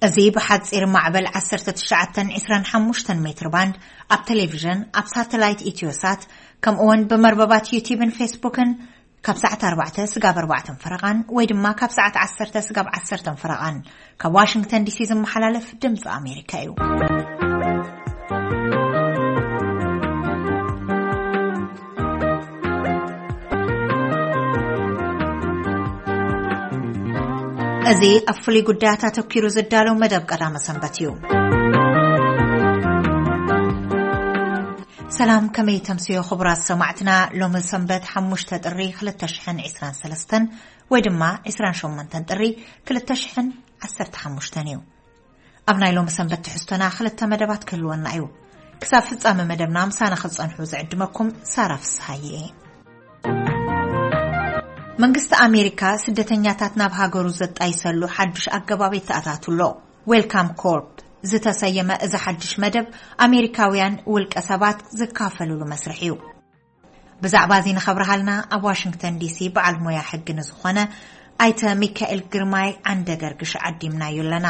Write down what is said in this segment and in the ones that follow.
እዚ ብሓጺር ማዕበል ዓሰርተ ትሽዓተ ዕስራን ሓሙሽተን ሜትር ባንድ፣ ኣብ ቴሌቪዥን፣ ኣብ ሳተላይት ኢትዮሳት፣ ከምኡውን ብመርበባት ዩቲብን ፌስቡክን ካብ ሰዓት ኣርባዕተ ስጋብ ኣርባዕተን ፈረቓን ወይ ድማ ካብ ሰዓት ዓሰርተ ስጋብ ዓሰርተን ፈረቓን ካብ ዋሽንግተን ዲሲ ዝመሓላለፍ ድምፂ ኣሜሪካ እዩ። እዚ ኣብ ፍሉይ ጉዳያት ኣተኲሩ ዝዳለው መደብ ቀዳመ ሰንበት እዩ። ሰላም፣ ከመይ ተምስዮ ክቡራት ሰማዕትና? ሎሚ ሰንበት ሓሙሽተ ጥሪ ክልተ ሽሕን ዕስራን ሰለስተን ወይ ድማ ዕስራን ሸሞንተን ጥሪ ክልተ ሽሕን ዓሰርተ ሓሙሽተን እዩ። ኣብ ናይ ሎሚ ሰንበት ትሕዝቶና ክልተ መደባት ክህልወና እዩ። ክሳብ ፍጻመ መደብና ምሳና ክትጸንሑ ዝዕድመኩም ሳራ ፍስሃየ እየ። መንግስቲ ኣሜሪካ ስደተኛታት ናብ ሃገሩ ዘጣይሰሉ ሓዱሽ ኣገባብ የተኣታቱ ኣሎ። ዌልካም ኮርፕ ዝተሰየመ እዚ ሓድሽ መደብ ኣሜሪካውያን ውልቀ ሰባት ዝካፈልሉ መስርሕ እዩ። ብዛዕባ እዚ ንኸብርሃልና ኣብ ዋሽንግተን ዲሲ በዓል ሞያ ሕጊ ንዝኾነ ኣይተ ሚካኤል ግርማይ ዓንደ ገርግሽ ዓዲምናዮ ኣለና።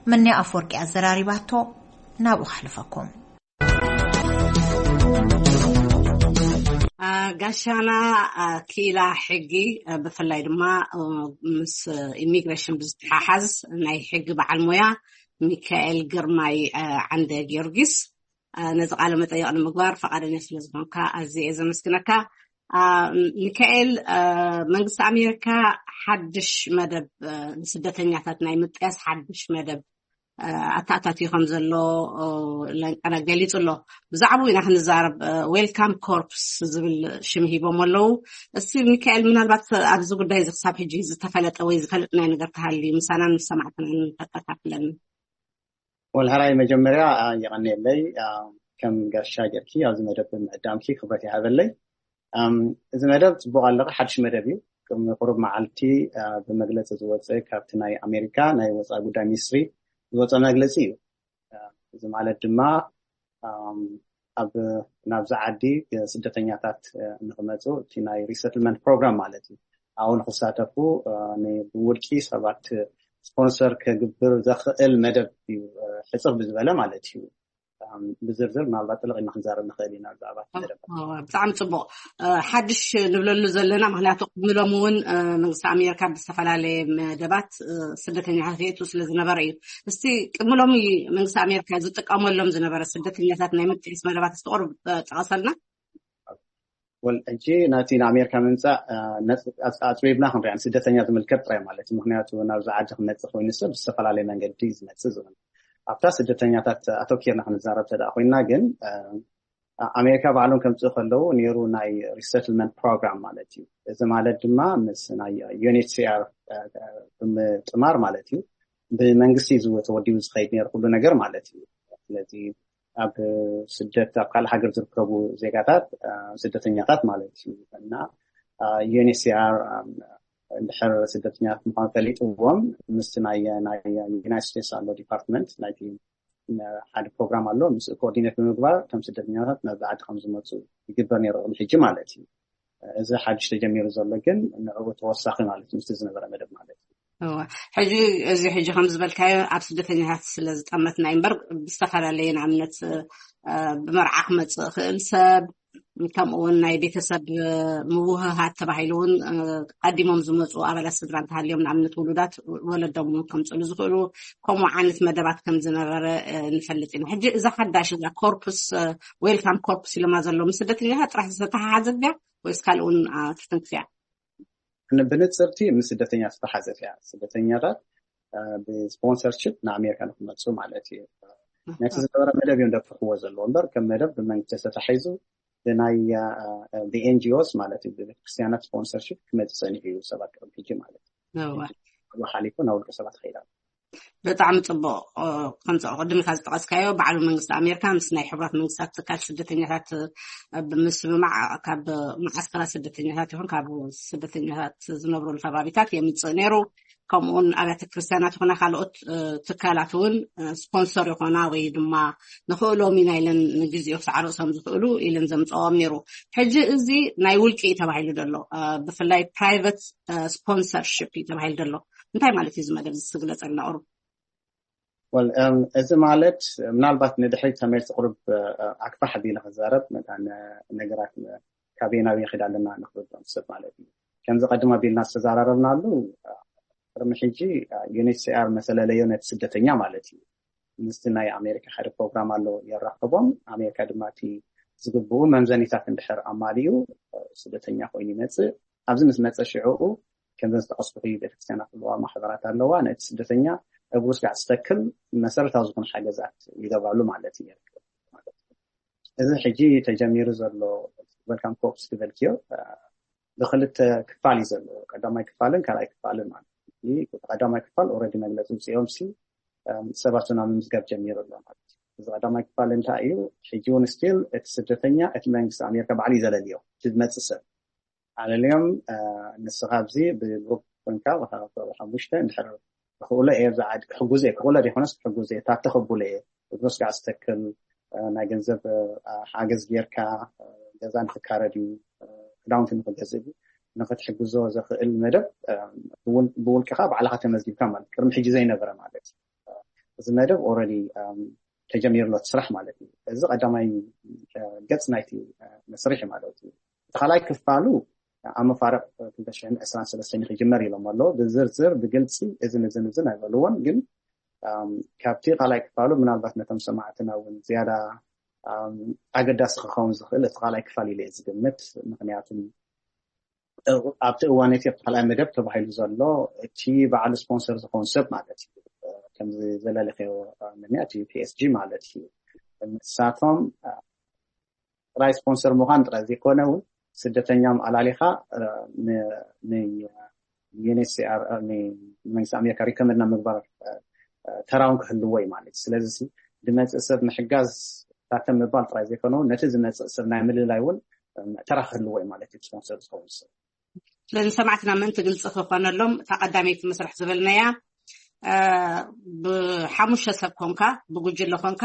ምንያ ኣፈወርቂ ኣዘራሪባቶ፣ ናብኡ ከሕልፈኩም። አ፣ ጋሻና፣ አ፣ ክኢላ ሕጊ፣ አ፣ ብፍላይ ድማ፣ አ፣ ምስ ኢሚግሬሽን ብዝተሓሓዝ ናይ ሕጊ በዓል ሞያ ሚካኤል ግርማይ፣ አ፣ ዓንደ ጊዮርጊስ፣ አ፣ ነዚ ቃለ መጠይቕ ንምግባር ፈቓደኛ ስለ ዝኾንካ ኣዝየ እየ ዘመስግነካ። አ፣ ሚካኤል፣ አ፣ መንግስቲ ኣሜሪካ ሓድሽ መደብ፣ አ፣ ንስደተኛታት ናይ ምጥያስ ሓድሽ መደብ፣ አ፣ ኣተኣታትዩ ከም ዘሎ፣ ኦ፣ ለንቀነ ገሊጹ ኣሎ። ብዛዕባኡ ኢና ክንዛረብ። አ፣ ዌልካም ኮርፕስ ዝብል ሽም ሂቦም ኣለዉ። እስቲ ሚካኤል፣ ምናልባት ኣብዚ ጉዳይ እዚ ክሳብ ሕጂ ዝተፈለጠ ወይ ዝፈለጥናዮ ነገር ተሃልዩ ምሳናን ምስ ሰማዕትናን ተካፍለኒ። ወልሃራይ መጀመርያ፣ አ፣ የቐንየለይ፣ አ፣ ከም ጋሻ ጌርኪ ኣብዚ መደብ ብምዕዳምኪ ክብረት ይሃበለይ። ኣም፣ እዚ መደብ ጽቡቕ ኣለኺ፣ ሓድሽ መደብ እዩ። ቅድሚ ቁሩብ መዓልቲ፣ አ፣ ብመግለጺ ዝወጸ ካብቲ ናይ ኣሜሪካ ናይ ወጻኢ ጉዳይ ሚኒስትሪ ዝወጸ መግለጺ እዩ። አ፣ እዚ ማለት ድማ፣ ኣም፣ ኣብ፣ ናብዚ ዓዲ ስደተኛታት፣ አ፣ ንኽመጹ እቲ ናይ ሪሰትልመንት ፕሮግራም ማለት እዩ። ኣብኡ ንኽሳተፉ፣ አ፣ ን-፣ ብውልቂ ሰባት ስፖንሰር ክግብር ዘኽእል መደብ እዩ፣ አ፣ ሕጽር ብዝበለ ማለት እዩ። ኣም፣ ብዝርዝር ምናልባት ጥልቕ ኢልና ክንዛረብ ንኽእል ኢና ብዛዕባ እቲ መደብ። ኦ፣ ብጣዕሚ ጽቡቕ። እ፣ ሓድሽ ንብለሉ ዘለና፣ ምኽንያቱ ቅድሚ ሎሚ እውን፣ እ፣ መንግስቲ ኣሜሪካ ብዝተፈላለየ መደባት፣ እ፣ ስደተኛታት የእቱ ስለ ዝነበረ እዩ። እስቲ ቅድሚ ሎሚ መንግስቲ ኣሜሪካ ዝጥቀመሎም ዝነበረ ስደተኛታት ናይ ምጥያስ መደባት እስቲ ቁሩብ፣ እ፣ ጠቐሰልና። ወል፣ ሕጂ ናቲ ንኣሜሪካ ምምጻእ፣ አ፣ ነጽ-፣ ኣጽ-፣ ኣጽቢብና ክንሪኣ፣ ንስደተኛ ዝምልከት ጥራይ ማለት እዩ። ምኽንያቱ ናብዚ ዓዲ ክመጽእ ኮይኑ ሰብ ብዝተፈላለየ መንገዲ እዩ ዝመጽእ ዝብል። ኣብታ ስደተኛታት ኣተኪርና ክንዛረብ እንተ ደኣ ኮይንና ግን፣ አ፣ ኣሜሪካ ባዕሎም ከምጽኡ ከለዉ ነይሩ ናይ ሪሰትልመንት ፕሮግራም ማለት እዩ። እዚ ማለት ድማ ምስ ናይ ዩ ኤን ኤች ሲ ኣር፣ አ፣ ብምጥማር ማለት እዩ። ብመንግስቲ እዩ ተወዲቡ ዝኸይድ ነይሩ ኩሉ ነገር ማለት እዩ። ስለዚ ኣብ ስደት፣ ኣብ ካልእ ሃገር ዝርከቡ ዜጋታት፣ አ፣ ስደተኛታት ማለት እዩ። እና፣ አ፣ ዩ ኤን ኤች ሲ ኣር፣ አ፣ እንድሕር ስደተኛታት ምዃኑ ፈሊጥዎም፣ ምስቲ ናይ፣ ናይ ዩናይትድ ስቴትስ ኣሎ ዲፓርትመንት፣ ናይቲ፣ አ፣ ሓደ ፕሮግራም ኣሎ። ምስ ኮኦርዲኔት ብምግባር እቶም ስደተኛታት ናብዚ ዓዲ ከም ዝመፁ ይግበር ነይሩ ቅድሚ ሕጂ ማለት እዩ። እዚ ሓድሽ ተጀሚሩ ዘሎ ግን ንዕኡ ተወሳኺ ማለት እዩ፣ ምስቲ ዝነበረ መደብ ማለት እዩ። እወ። ሕጂ፣ እዚ ሕጂ ከም ዝበልካዮ ኣብ ስደተኛታት ስለ ዝጠመትና እዩ እምበር፣ ብዝተፈላለየ ንኣብነት፣ እ፣ ብመርዓ ክመጽእ ይኽእል ሰብ፣ ከምኡ እውን ናይ ቤተሰብ፣ እ፣ ምውህሃድ ተባሂሉ እውን፣ እ፣ ቀዲሞም ዝመጹ ኣባላት ስድራ እንተሃልዮም፣ ንኣብነት ውሉዳት ወለዶም እውን ከምጽእሉ ዝኽእሉ፣ ከምኡ ዓይነት መደባት ከም ዝነበረ፣ እ፣ ንፈልጥ ኢና። ሕጂ እዛ ሓዳሽ እዛ ኮርፕስ፣ እ፣ ዌልካም ኮርፕስ ኢሎማ ዘለዉ ምስ ስደተኛታት ጥራሕ ዝተተሓሓዘት ድያ ወይስ ካልእ እውን፣ እ፣ ክትንክፍ እያ? ን-፣ ብንጽርቲ ምስ ስደተኛ ዝተሓዘት እያ። ስደተኛታት፣ እ፣ ብስፖንሰርሺፕ ንኣሜሪካ ንክመጹ ማለት እዩ። ነቲ ዝነበረ መደብ እዮም ደፍርሕዎ ዘለዎ እምበር ከም መደብ ብመንግስቲ ተታሒዙ ብናይ፣ እ፣ ብ ኤን ጂ ኦስ ማለት እዩ፣ ብቤተክርስትያናት ስፖንሰርሺፕ ክመጽእ ጸኒሑ እዩ ሰባት ቅድሚ ሕጂ ማለት እዩ። እወ። ሕጂ ካብኡ ሓሊፉ ናብ ውልቀ ሰባት ከይዳ። ብጣዕሚ ጽቡቕ። እ፣ ከምዚ ቅድም ኢልካ ዝጠቐስካዮ፣ ባዕሉ መንግስቲ ኣሜሪካ ምስ ናይ ሕቡራት መንግስታት ትካል ስደተኛታት፣ እ፣ ብምስምማዕ ካብ መዓስከራት ስደተኛታት ይኹን ካብ ስደተኛታት ዝነብሩሉ ከባቢታት የምጽእ ነይሩ። ከምኡውን ኣብያተ ክርስቲያናት ይኹና ካልኦት፣ እ፣ ትካላት እውን፣ እ፣ ስፖንሰር ይኾና ወይ ድማ ንኽእሎም ኢና ኢለን ንግዜኡ ክሳዕ ርእሶም ዝኽእሉ ኢለን ዘምጽኦም ነይሩ። ሕጂ እዚ ናይ ውልቂ እዩ ተባሂሉ ዘሎ፣ እ፣ ብፍላይ ፕራይቨት፣ እ፣ ስፖንሰርሺፕ እዩ ተባሂሉ ዘሎ። እንታይ ማለት እዩ እዚ መደብ እዚ? ስግለጸልና ቁሩብ። ወል እም፣ እዚ ማለት ምናልባት ንድሕሪት ተመልሲ ቁሩብ ኣክፋሕ ኣቢለ ክዛረብ መታን ነገራት ካበይ ናብ ይኸድ ኣለና ንክርድኦም ሰብ ማለት እዩ። ከምዚ ቀድም ኣቢልና ዝተዘራረብናሉ ቅድሚ ሕጂ ዩኤንኤችሲኣር መሰለለዮ ነቲ ስደተኛ ማለት እዩ። ምስቲ ናይ ኣሜሪካ ሓደ ፕሮግራም ኣሎ የራኽቦም። ኣሜሪካ ድማ እቲ ዝግብኡ መምዘኒታት እንድሕር ኣማሊኡ ስደተኛ ኮይኑ ይመፅእ። ኣብዚ ምስ መፀ ሽዕኡ ከምዘን ዝጠቀስኩ ቤተክርስትያናት ኣለዋ፣ ማሕበራት ኣለዋ። ነቲ ስደተኛ እግሩ ስጋዕ ዝተክል መሰረታዊ ዝኾኑ ሓገዛት ይገብራሉ ማለት እዩ። እዚ ሕጂ ተጀሚሩ ዘሎ ዌልካም ኮርፕስ ዝበልክዮ ብክልተ ክፋል እዩ ዘለዎ። ቀዳማይ ክፋልን ካልኣይ ክፋልን ማለት እዩ። ቀዳማይ ክፋል ኦልሬዲ መግለፂ ውፅኦም ሲ ሰባት ናብ ምዝጋብ ጀሚሩ ኣሎ ማለት እዩ። እዚ ቀዳማይ ክፋል እንታይ እዩ? ሕጂ እውን ስቲል እቲ ስደተኛ እቲ መንግስቲ ኣሜሪካ ባዕሉ እዩ ዘለልዮ። እቲ ዝመፅእ ሰብ ኣለልዮም። ንስኻ ኣብዚ ብግሩፕ ኮንካ ሓሙሽተ እንድሕር ክኽእሎ እየ ኣብዚ ዓዲ ክሕጉዝ እየ፣ ክኽእሎ ዘይኮነስ ክሕጉዝ እየ፣ ታተ ከብሎ እየ፣ እግሩ ስጋዕ ዝተክል ናይ ገንዘብ ሓገዝ ጌርካ ገዛ ንክካረድ እዩ፣ ክዳውንቲ ንክገዝእ እዩ፣ ንክትሕግዞ ዘኽእል መደብ ብውልቅኻ ባዕልኻ ተመዝጊብካ ማለት ቅድሚ ሕጂ ዘይነበረ ማለት እዩ። እዚ መደብ ኦልሬዲ ተጀሚሩ ኣሎ እቲ ስራሕ ማለት እዩ። እዚ ቀዳማይ ገፅ ናይቲ መስርሒ ማለት እዩ። እቲ ካልኣይ ክፋሉ ኣብ መፋርቕ ክልተ ሽሕን ዕስራን ሰለስተን ክጅመር ኢሎም ኣለዉ። ብዝርዝር ብግልፂ እዝን እዝን እዝን ኣይበልዎን፣ ግን ካብቲ ካልኣይ ክፋሉ ምናልባት ነቶም ሰማዕትና እውን ዝያዳ ኣገዳሲ ክኸውን ዝኽእል እቲ ካልኣይ ክፋል ኢለ ዝግምት። ምክንያቱ ኣብቲ እዋን እቲ ኣብቲ ካልኣይ መደብ ተባሂሉ ዘሎ እቲ በዓል ስፖንሰር ዝኸውን ሰብ ማለት እዩ። ከምዚ ዘለለኸዮ ምንያ እቲ ፒኤስጂ ማለት እዩ። ንሳቶም ጥራይ ስፖንሰር ምዃን ጥራይ ዘይኮነ እውን ስደተኛም ኣላሊኻ ንዩኤንኤችሲኣር ንመንግስቲ ኣሜሪካ ሪኮመንድ ናብ ምግባር ተራውን ክህልዎ እዩ ማለት እዩ። ስለዚ ድመፅእ ሰብ ምሕጋዝ ታተም ምባል ጥራይ ዘይኮነ እውን ነቲ ዝመፅእ ሰብ ናይ ምልላይ እውን ተራ ክህልዎ እዩ ማለት እዩ። ስፖንሰር ዝኸውን ሰብ ስለዚ ሰማዕትና ምእንቲ ግልፂ ክኾነሎም እታ ቀዳመይቲ መስርሕ ዝበልናያ ብሓሙሽተ ሰብ ኮንካ ብጉጅለ ኮንካ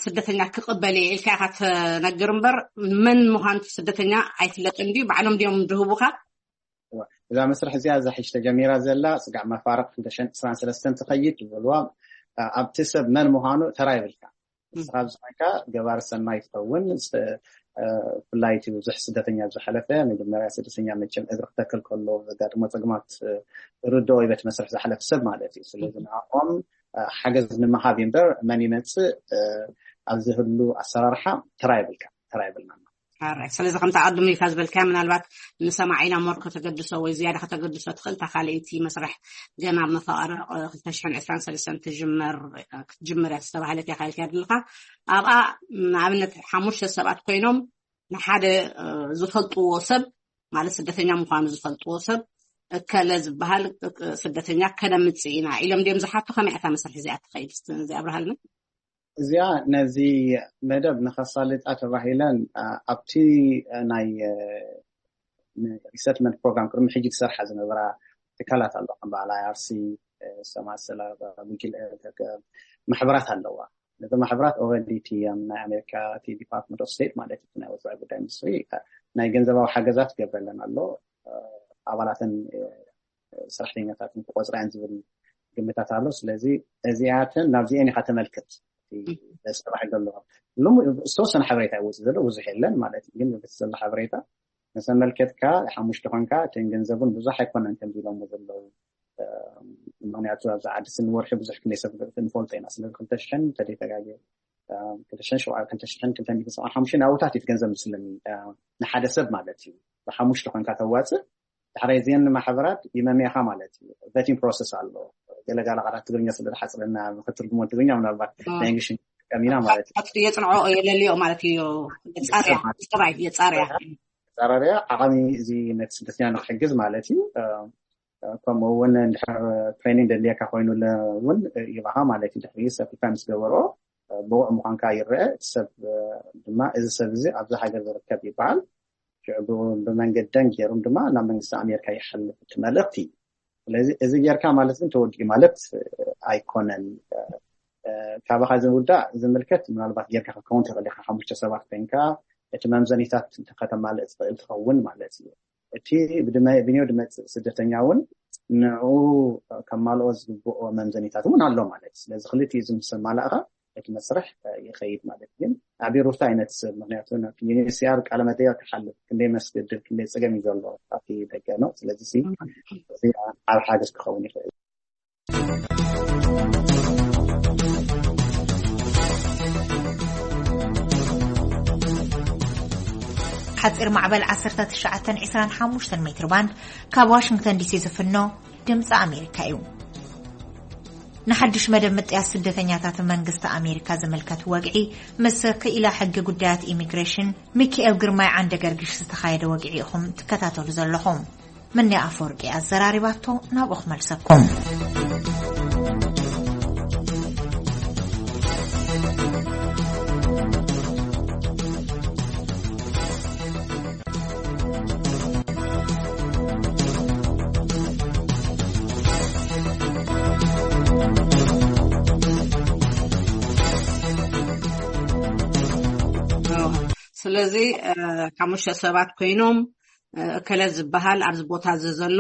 ስደተኛ ክቕበል እየ ኢልካ ኢኻ ትነግር እምበር መን ምዃን ስደተኛ ኣይፍለጥን ድዩ? ባዕሎም ድዮም ድህቡካ? እዛ መስርሕ እዚኣ እዛ ሕጂ ተጀሚራ ዘላ ስጋዕ መፋርቕ ክልተ ሽሕን ዕስራን ሰለስተን ትኸይድ ዝበልዋ ኣብቲ ሰብ መን ምዃኑ ተራ ይብልካ። ንስኻ ኣብዚ ኮይንካ ገባሪ ሰናይ ትኸውን። ብፍላይ እቲ ብዙሕ ስደተኛ ዝሓለፈ መጀመርያ ስደተኛ መቸም እግሪ ክተክል ከሎ ዘጋጥሞ ፀግማት ርድኦ ይበት መስርሕ ዝሓለፈ ሰብ ማለት እዩ። ስለዚ ንዕኦም ሓገዝ ንምሃብ እዩ እምበር መን ይመፅእ ኣብ ዝህሉ ኣሰራርሓ ተራ ይብልካ፣ ተራ ይብልና። ስለዚ ከምቲ ኣቐድሙ ኢልካ ዝበልካዮ ምናልባት ንሰማዒና ሞር ከተገድሶ ወይ ዝያዳ ከተገድሶ ትኽእል እታ ካልኣይቲ መስርሕ ገና ኣብ መፋቕረ ክልተ ሽሕን ዕስራን ሰለስተን ትጅመር ክትጅምር እያ ዝተባህለት እያ ኢልካ ዘለኻ። ኣብኣ ንኣብነት ሓሙሽተ ሰባት ኮይኖም ንሓደ ዝፈልጥዎ ሰብ ማለት ስደተኛ ምዃኑ ዝፈልጥዎ ሰብ እከለ ዝበሃል ስደተኛ ከነምፅእ ኢና ኢሎም ድዮም ዝሓቱ? ከመይ እታ መስርሕ እዚኣ ትኸይድ? እስቲ ነዚ ኣብርሃልና። እዚኣ ነዚ መደብ ንኸሳልጣ ተባሂለን ኣብቲ ናይ ሪሰትልመንት ፕሮግራም ቅድሚ ሕጂ ክሰርሓ ዝነበራ ትካላት ኣሎ ከም በዓል ኣይኣርሲ ሰማሰላ ጉጅል ማሕበራት ኣለዋ። ነዚ ማሕበራት ኦረዲ እቲ ናይ ኣሜሪካ እቲ ዲፓርትመንት ኦፍ ስቴት ማለት እቲ ናይ ወፃኢ ጉዳይ ሚኒስትሪ ናይ ገንዘባዊ ሓገዛት ገብረለን ኣሎ። ኣባላትን ሰራሕተኛታትን ክቆፅራያን ዝብል ግምታት ኣሎ። ስለዚ እዚኣተን ናብዚአን ኢካ ተመልክት ተባሂሉ ኣለዋ። ሎሚ ዝተወሰነ ሓበሬታ ይወፅእ ዘሎ ብዙሕ የለን ማለት እዩ። ግን በቲ ዘሎ ሓበሬታ መሰመልከትካ ሓሙሽተ ኮንካ እተን ገንዘቡን ብዙሕ ኣይኮነን ከምዚ ኢሎሞ ዘለዉ። ምክንያቱ ኣብዚ ዓዲ ስኒ ወርሒ ብዙሕ ክንደይ ሰብ ንፈልጦ ኢና። ስለዚ ክልተ ሽሕን ተደይተጋገ ክልተ ሽሕን ሸውዓተ ክልተ ሽሕን ክልተ ሚእትን ሰብዓን ሓሙሽተን ኣብታት እዩ ገንዘብ ምስለኒ ንሓደ ሰብ ማለት እዩ። ብሓሙሽተ ኮንካ ተዋፅእ ዳሕራይ እዚአን ማሕበራት ይመምያኻ ማለት እዩ። ቨቲንግ ፕሮሰስ ኣሎ። ገለጋለ ቃላት ትግርኛ ስለ ዝሓፅረና ክትርጉሞ ትግርኛ ምናልባት ናይ እንግሊሽ ንጥቀም ኢና ማለት እዩ። የፅንዖ የለልዮ ማለት እዩ። የፃርያ የፃርያ የፃረርያ ዓቐሚ እዚ ነቲ ስደተኛ ንክሕግዝ ማለት እዩ። ከምኡ እውን እንድሕር ትሬኒንግ ደድልየካ ኮይኑ እውን ይባኻ ማለት እዩ። ድሕሪ ሰርቲፋይ ምስ ገበሮ ብቑዕ ምዃንካ ይረአ። እቲ ሰብ ድማ እዚ ሰብ እዚ ኣብዚ ሃገር ዝርከብ ይበሃል። ሽዑ ብመንገደን ገይሮም ድማ ናብ መንግስቲ ኣሜሪካ ይሓልፍ እቲ መልእኽቲ። ስለዚ እዚ ጌርካ ማለት ግን ተወዲኡ ማለት ኣይኮነን። ካባኻ ዝውዳእ ዝምልከት ምናልባት ጌርካ ክትከውን ትኽእል ኢኻ። ሓሙሽተ ሰባት ኮይንካ እቲ መምዘኒታት ከተማልእ ትኽእል ትኸውን ማለት እዩ። እቲ ብድመ- ብኒዮ ድመፅእ ስደተኛ እውን ንዕኡ ከማልኦ ዝግብኦ መምዘኒታት እውን ኣሎ ማለት እዩ። ስለዚ ክልቲኡ እዚ ምስ ኣማላእኻ እቲ መስርሕ ይኸይድ ማለት እዩ። ግን ኣዕቢሩታ ኣይነትስብ። ምክንያቱ ናብ ዩኤንኤችሲኣር ቃለ መጠይቕ ክሓልፍ ክንደይ መስገድል ክንደይ ጸገም እዩ ዘሎ ኣብቲ ደገ ነው። ስለዚ ሲ እዚ ዓብ ሓገዝ ክኸውን ይኽእል። ሓፂር ማዕበል ዓሰርተ ትሽዓተ ዕስራን ሓሙሽተን ሜትር ባንድ ካብ ዋሽንግተን ዲሲ ዝፍኖ ድምፂ ኣሜሪካ እዩ። ንሓድሽ መደብ ምጥያስ ስደተኛታት መንግስቲ ኣሜሪካ ዝምልከት ወግዒ ምስ ክኢላ ሕጊ ጉዳያት ኢሚግሬሽን ሚካኤል ግርማይ ዓንደ ገርግሽ ዝተኻየደ ወግዒ ኢኹም ትከታተሉ ዘለኹም። ምኒ ኣፈወርቂ ኣዘራሪባቶ ናብኡ ክመልሰኩም። ስለዚ ሓሙሽተ ሰባት ኮይኖም እከለ ዝበሃል ኣብዚ ቦታ እዚ ዘሎ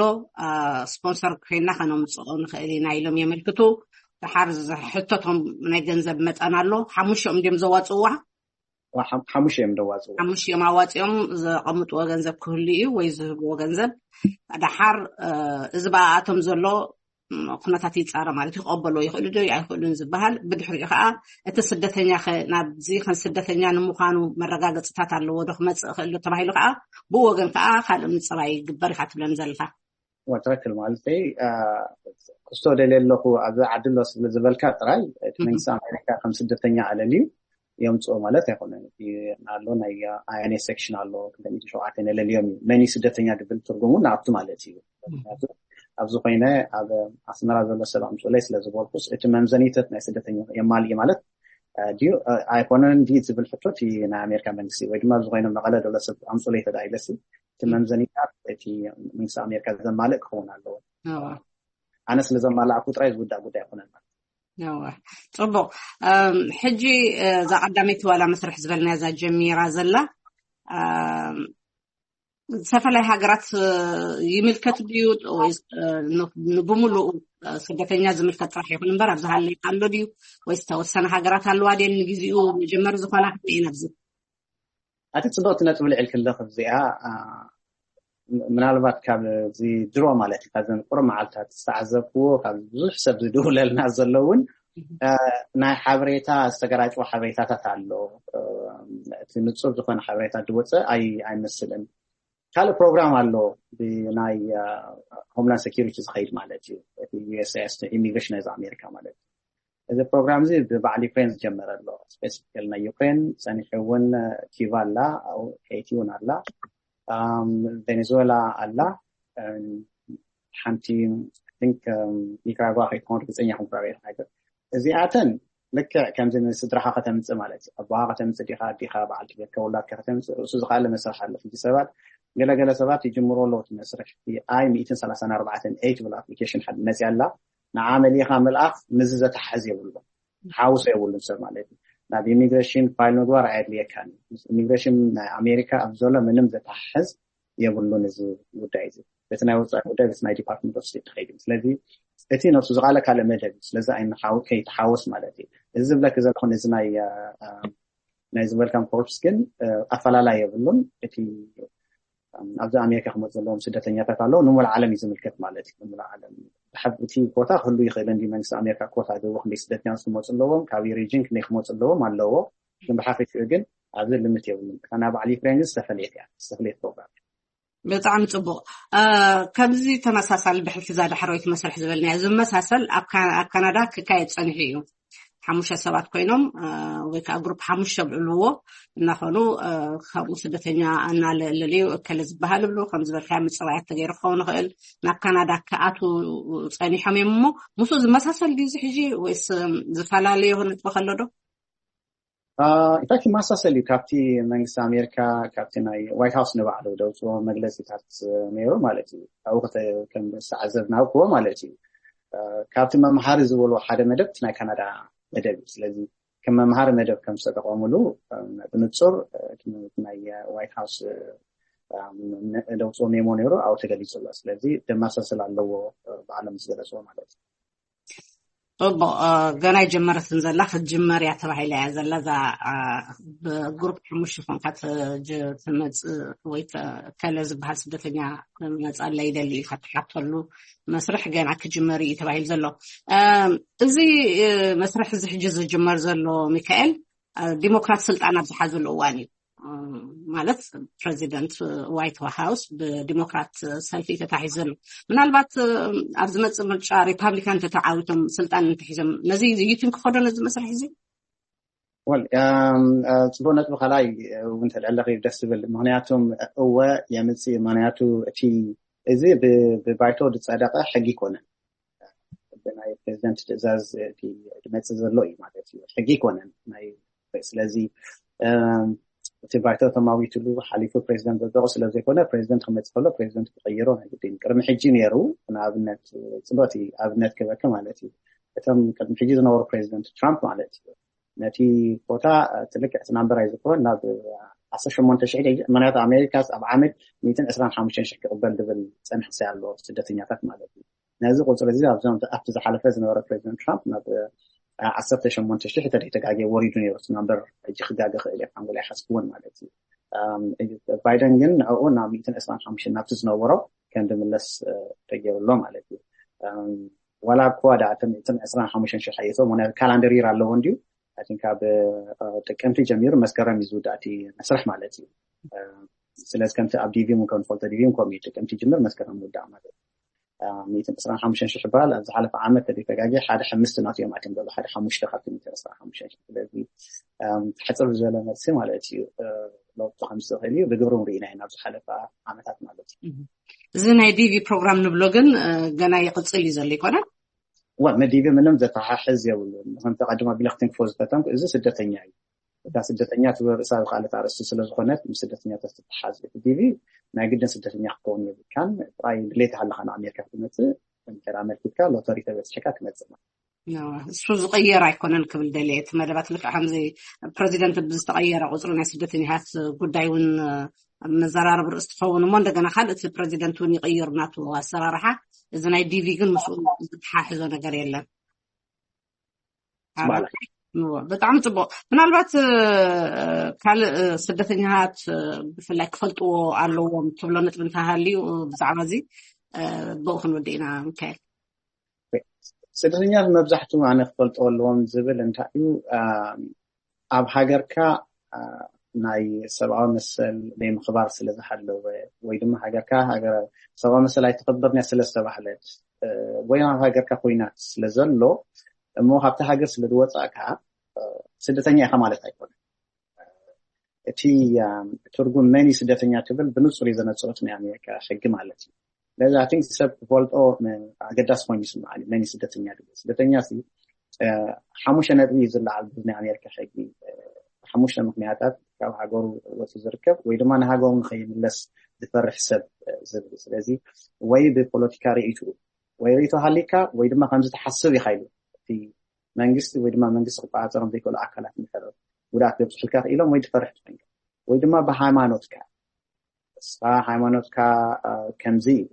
ስፖንሰር ኮይና ከነምፅኦ ንኽእል ኢና ኢሎም የመልክቱ። ድሓር ሕቶቶም ናይ ገንዘብ መጠን ኣሎ። ሓሙሽኦም ድም ዘዋፅዋ ሓሙሽ እዮም ደዋፅዎ። ሓሙሽ እዮም ኣዋፂኦም ዘቐምጥዎ ገንዘብ ክህሉ እዩ ወይ ዝህብዎ ገንዘብ። ድሓር እዚ ብኣኣቶም ዘሎ ኩነታት ይፃረ ማለት እዩ። ክቐበልዎ ይኽእሉ ዶ ኣይኽእሉን ዝበሃል። ብድሕሪኡ ከዓ እቲ ስደተኛ ኸ ናብዚ ከም ስደተኛ ንምዃኑ መረጋገፅታት ኣለዎ ዶ ክመፅእ ይኽእል ዶ ተባሂሉ ከዓ ብኡ ወገን ከዓ ካልእ ምፅራይ ይግበር ኢኻ ትብለን ዘለኻ። ትክክል ማለት ክስቶ ደልየ ኣለኹ ኣብዚ ዓዲ ኣሎ ስለ ዝበልካ ጥራይ እቲ መንግስቲ ኣሜሪካ ከም ስደተኛ ኣለልዩ የምፅኦ ማለት ኣይኮነን። ኣሎ ናይ ኣይኤንኤስ ሴክሽን ኣሎ ክልተ ሚእቲ ሸውዓተ ነለልዮም እዩ። መን እዩ ስደተኛ ድብል ትርጉሙ ንኣቱ ማለት እዩ። ምክንያቱ ኣብዚ ኮይነ ኣብ ኣስመራ ዘሎ ሰብ ኣምፅኡለይ ስለ ዝበልኩስ እቲ መምዘኒተት ናይ ስደተኛ የማልእ ማለት ድዩ ኣይኮነን ድዩ ዝብል ሕቶ እቲ ናይ ኣሜሪካ መንግስቲ ወይ ድማ ኣብዚ ኮይነ መቐለ ዘሎ ሰብ ኣምፅኡለይ ተዳ ኢለሲ እቲ መምዘኒታት እቲ መንግስቲ ኣሜሪካ ዘማልእ ክኸውን ኣለዎ። ኣነ ስለ ዘማላእኩ ጥራይ ዝውዳእ ጉዳይ ኣይኮነን ማለት ጽቡቅ። ሕጂ እዛ ቀዳመይቲ ዋላ መስርሕ ዝበልናያ እዛ ጀሚራ ዘላ ዝተፈላለያ ሃገራት ይምልከት ድዩ ወይስ ብሙሉኡ ስደተኛ ዝምልከት ጥራሕ ይኹን እምበር ኣብዚ ሃለይ ኣሎ ድዩ ወይስ ተወሰነ ሃገራት ኣለዋ ድየን ንግዜኡ መጀመሪ ዝኾና ከመይ እየን ኣብዚ ኣቲ ጽቡቕቲ ነጥቢ ልዕል ክለኽ እዚኣ ምናልባት ካብ እዚ ድሮ ማለት እዩ ካብዘን ቁሩብ መዓልታት ዝተዓዘብክዎ ካብ ብዙሕ ሰብ ዝድውለልና ዘለውን ናይ ሓበሬታ ዝተገራጭዎ ሓበሬታታት ኣሎ። እቲ ንጹር ዝኾነ ሓበሬታ ዝወፀ ኣይመስልን። ካልእ ፕሮግራም ኣሎ ብናይ ሆምላንድ ሴኪሪቲ ዝኸይድ ማለት እዩ። እቲ ዩኤስሲኣይኤስ ኢሚግሬሽን ናይዚ ኣሜሪካ ማለት እዩ። እዚ ፕሮግራም እዚ ብበዓል ዩክሬን ዝጀመረ ኣሎ። ስፔሲፊካሊ ናይ ዩክሬን ጸኒሑ እውን ኪዩባ ኣላ፣ ሄይቲ እውን ኣላ፣ ቬኔዙዌላ ኣላ፣ ሓንቲ ኒካራጓ ከይትኸውን ርግፀኛ ክምኩራር እየ። እዚኣተን ልክዕ ከምዚ ንስድራኻ ከተምፅእ ማለት እዩ። ኣቦኻ ከተምፅእ ዲኻ፣ ኣዲኻ፣ በዓልቲ ቤትካ፣ ውላድካ ከተምፅእ ርእሱ ዝኸኣለ መስርሕ ኣሎ። ሕጂ ሰባት ገለገለ ሰባት ይጅምሩ ኣለዉ እቲ መስርሕ። እቲ ኣይ ሚእትን ሰላሳን ኣርባዕተን ኤ ትብል ኣፕሊኬሽን ሓደ መፅያ ኣላ። ንዓ መሊእኻ ምልኣኽ ምስዚ ዘተሓሕዝ የብሉን። ሓውሶ የብሉን ሰብ ማለት እዩ። ናብ ኢሚግሬሽን ፋይል ምግባር ኣየድልየካን እዩ። ኢሚግሬሽን ናይ ኣሜሪካ ኣብ ዘሎ ምንም ዘተሓሕዝ የብሉን እዚ ጉዳይ እዚ። በቲ ናይ ወፃኢ ጉዳይ በቲ ናይ ዲፓርትመንት ኦፍ ስቴት ትኸይድ እዩ። ስለዚ እቲ ነብሱ ዝቃለ ካልእ መደብ እዩ። ስለዚ ኣይንሓው ከይተሓወስ ማለት እዩ። እዚ ዝብለኪ ዘለኹ ነዚ ናይ ናይ ዝበልካም ኮርፕስ ግን ኣፈላላይ የብሉን። እቲ ኣብዚ ኣሜሪካ ክመፁ ዘለዎም ስደተኛታት ኣለዉ ንሙሉእ ዓለም እዩ ዝምልከት ማለት እዩ። ንሙሉእ ዓለም እቲ ኮታ ክህሉ ይኽእል እንዲ መንግስቲ ኣሜሪካ ኮታ ገቡ ክንደይ ስደተኛታት ክመፁ ኣለዎም ካብ ሪጅን ክንደይ ክመፁ ኣለዎም ኣለዎ። ግን ብሓፈሽኡ ግን ኣብዚ ልምት የብሉን። እታ ናይ በዓል ዩክሬን ግን ዝተፈለየት እያ ዝተፈለየት ፕሮግራም። ብጣዕሚ ፅቡቅ። ከምዚ ተመሳሳሊ ብሕልፊ እዛ ዳሕረወይቲ መስርሕ ዝበልናዮ ዝመሳሰል ኣብ ካናዳ ክካየድ ፀኒሑ እዩ። ሓሙሽተ ሰባት ኮይኖም ወይ ከዓ ግሩፕ ሓሙሽተ ብዕልዎ እናኾኑ ካብኡ ስደተኛ እናለለዩ እከለ ዝበሃል ብሉ ከም ዝበልካዮ ምፅራያት ተገይሩ ክኸውን ይኽእል ናብ ካናዳ ክኣቱ ፀኒሖም እዮም እሞ ምስኡ ዝመሳሰል ድዩ እዚ ሕጂ ወይስ ዝፈላለዩ ነጥቢ ከሎ ዶ? ኢንፋክት ይመሳሰል እዩ ካብቲ መንግስቲ ኣሜሪካ ካብቲ ናይ ዋይት ሃውስ ንባዕሉ ደውፅዎ መግለፂታት ነይሩ ማለት እዩ። ካብኡ ዝተዓዘብናክዎ ማለት እዩ። ካብቲ መምሃሪ ዝበልዎ ሓደ መደብ ናይ ካናዳ መደብ እዩ። ስለዚ ከም መምሃሪ መደብ ከም ዝተጠቐሙሉ ብንፁር ናይ ዋይት ሃውስ ደውፅኦ ሜሞ ነይሩ፣ ኣብኡ ተገሊፁ ኣሎ። ስለዚ ደማሳስል ኣለዎ፣ ብዓለም ዝገለፅዎ ማለት እዩ። ጽቡቕ። ገና ኣይጀመረትን ዘላ፣ ክትጅመር እያ ተባሂላ እያ ዘላ። እዛ ብግሩፕ ሓሙሽተ ኮንካ ትመፅእ ወይ ከለ ዝበሃል ስደተኛ ክመፅኣለ ይደሊ ኢልካ ትሓተሉ መስርሕ ገና ክጅመር እዩ ተባሂሉ ዘሎ። እዚ መስርሕ እዚ ሕጂ ዝጅመር ዘሎ፣ ሚካኤል፣ ዲሞክራት ስልጣን ኣብ ዝሓዘሉ እዋን እዩ። ማለት ፕሬዚደንት ዋይት ሃውስ ብዲሞክራት ሰልፊ ተታሒዙ ኣሎ። ምናልባት ኣብ ዝመፅእ ምርጫ ሪፓብሊካን ተተዓዊቶም ስልጣን እንተሒዞም፣ ነዚ ይትን ክኸዶ ነዚ መስርሕ እዚ? ወል ጽቡቅ ነጥቢ ካልኣይ እውን ተልዕለኺ ደስ ዝብል። ምክንያቱም እወ የምፅእ፣ ምክንያቱ እቲ እዚ ብባይቶ ዝፀደቀ ሕጊ ይኮነን። ብናይ ፕሬዚደንት ትእዛዝ ዝመፅእ ዘሎ እዩ ማለት እዩ። ሕጊ ይኮነን ናይ ስለዚ እቲ ባይቶ ተማዊትሉ ሓሊፉ ፕሬዚደንት ዘደቑ ስለዘይኮነ፣ ፕሬዚደንት ክመፅእ ከሎ ፕሬዚደንት ክቀይሮ ናይ ግድን። ቅድሚ ሕጂ ነይሩ። ንኣብነት ፅሎት ኣብነት ክበኪ ማለት እዩ። እቶም ቅድሚ ሕጂ ዝነበሩ ፕሬዚደንት ትራምፕ ማለት እዩ፣ ነቲ ቦታ ትልክዕ እቲ ናምበር ኣይዝክሮን ናብ ዓሰርተ ሸሞንተ ሽሕ፣ ምክንያቱ ኣሜሪካ ኣብ ዓመት ሚእትን ዕስራን ሓሙሽተን ሽሕ ክቕበል ዝብል ፀንሕሰ ኣሎ ስደተኛታት ማለት እዩ። ነዚ ቁፅሪ እዚ ኣብዞም ኣብቲ ዝሓለፈ ዝነበረ ፕሬዚደንት ትራምፕ ናብ ዓሰርተ ሸሞንተ ሽሕ ተደይተጋገ ወሪዱ ነይሩ እቲ ናምበር። ሕጂ ክጋገ ክእል እየ ሓንጎል ኣይሓስብዎን ማለት እዩ። ባይደን ግን ንዕኡ ናብ ሚእትን ዕስራን ሓሙሽተን ናብቲ ዝነበሮ ከም ዝምለስ ተገይሩ ኣሎ ማለት እዩ። ዋላ እኳ ዳ እቶም ዕስራን ሓሙሽተን ሽሕ ሓይቶ ምክንያቱ ካላንደር ይር ኣለዎ እንዲዩ። ካብ ጥቅምቲ ጀሚሩ መስከረም እዩ ዝውዳእ እቲ መስርሕ ማለት እዩ። ስለዚ ከምቲ ኣብ ዲቪ እውን ከም ንፈልጦ ዲቪ እውን ከምኡ እዩ፣ ጥቅምቲ ጅምር መስከረም ይውዳእ ማለት እዩ። ሚእትን ዕስራን ሓሙሽተን ሽሕ ይበሃል። ኣብ ዝሓለፈ ዓመት ተደይተጋጊ ሓደ ሓምስቲ ናት እዮም ኣትዮም ዘሎ፣ ሓደ ሓሙሽተ ካብቲ ሚእትን ዕስራን ሓሙሽተን ሽሕ። ስለዚ ሕፅር ዝበለ መልሲ ማለት እዩ። ለውጢ ከም ዝኽእል እዩ ብግብሪ እውን ርኢና ኢና ኣብ ዝሓለፈ ዓመታት ማለት እዩ። እዚ ናይ ዲቪ ፕሮግራም ንብሎ ግን ገና ይቕፅል እዩ ዘሎ ይኮነ? ወ መዲቢ ምንም ዘተሓሕዝ የብሉን። ከምቲ ቀድሞ ቢለክቲን ክፎ ዝተተንኩ እዚ ስደተኛ እዩ። እታ ስደተኛ ትብል ርእሳ ዝኸኣለት ኣርእስቲ ስለ ዝኾነት ምስ ስደተኛታት ትተሓዝ። እቲ ዲቪ ናይ ግድን ስደተኛ ክትከውን የብልካን። ጥራይ ድሌት ሃለኻ ንኣሜሪካ ክትመፅእ እንተ ኣመልኪትካ ሎተሪ ተበፅሕካ ትመፅእ ማለት። እሱ ዝቐየር ኣይኮነን ክብል ደልየ። እቲ መደባት ልክዕ ከምዚ ፕረዚደንት ብዝተቐየረ ቁፅሪ ናይ ስደተኛታት ጉዳይ እውን መዘራረቢ ርእሲ ትኸውን እሞ እንደገና ካልእ እቲ ፕረዚደንት እውን ይቕይር ናቱ ኣሰራርሓ። እዚ ናይ ዲቪ ግን ምስኡ ዝተሓሕዞ ነገር የለን። ብጣዕሚ ፅቡቅ። ምናልባት ካልእ ስደተኛታት ብፍላይ ክፈልጥዎ ኣለዎም ትብሎ ነጥቢ እንተሃልዩ ብዛዕባ እዚ ብኡ ክንወድእ ኢና። ሚካኤል፣ ስደተኛታት መብዛሕትኡ ኣነ ክፈልጥዎ ኣለዎም ዝብል እንታይ እዩ፣ ኣብ ሃገርካ ናይ ሰብኣዊ መሰል ናይ ምኽባር ስለ ዝሃለወ ወይ ድማ ሃገርካ ሃገር ሰብኣዊ መሰል ኣይተኸበርንያ ስለ ዝተባህለት ወይ ኣብ ሃገርካ ኮይናት ስለ ዘሎ እሞ ካብቲ ሃገር ስለ ዝወፃእካ ስደተኛ ኢኻ ማለት ኣይኮነን። እቲ ትርጉም መን ስደተኛ ትብል ብንፁር እዩ ዘነፅሮት ናይ ኣሜሪካ ሕጊ ማለት እዩ። ስለዚ ኣይ ቲንክ ሰብ ክፈልጦ ኣገዳሲ ኮይኑ ይስምዓኒ። መን ስደተኛ ትብል ስደተኛ ሲ ሓሙሽተ ነጥቢ እዩ ዝለዓል ብናይ ኣሜሪካ ሕጊ። ሓሙሽተ ምክንያታት ካብ ሃገሩ ወፂ ዝርከብ ወይ ድማ ንሃገሩ ንኸይምለስ ዝፈርሕ ሰብ ዝብል። ስለዚ ወይ ብፖለቲካ ርእይቱ ወይ ርእይቶ ሃሊካ ወይ ድማ ከምዚ ትሓስብ ኢኻ ኢሉ እቲ መንግስቲ ወይ ድማ መንግስቲ ክቆፃፀሮም ዘይክእሉ ኣካላት እንድሕር ጉድኣት ዘብፅሑልካ ክኢሎም ወይ ትፈርሕ ትኾንካ ወይ ድማ ብሃይማኖትካ እስኻ ሃይማኖትካ ከምዚ እዩ፣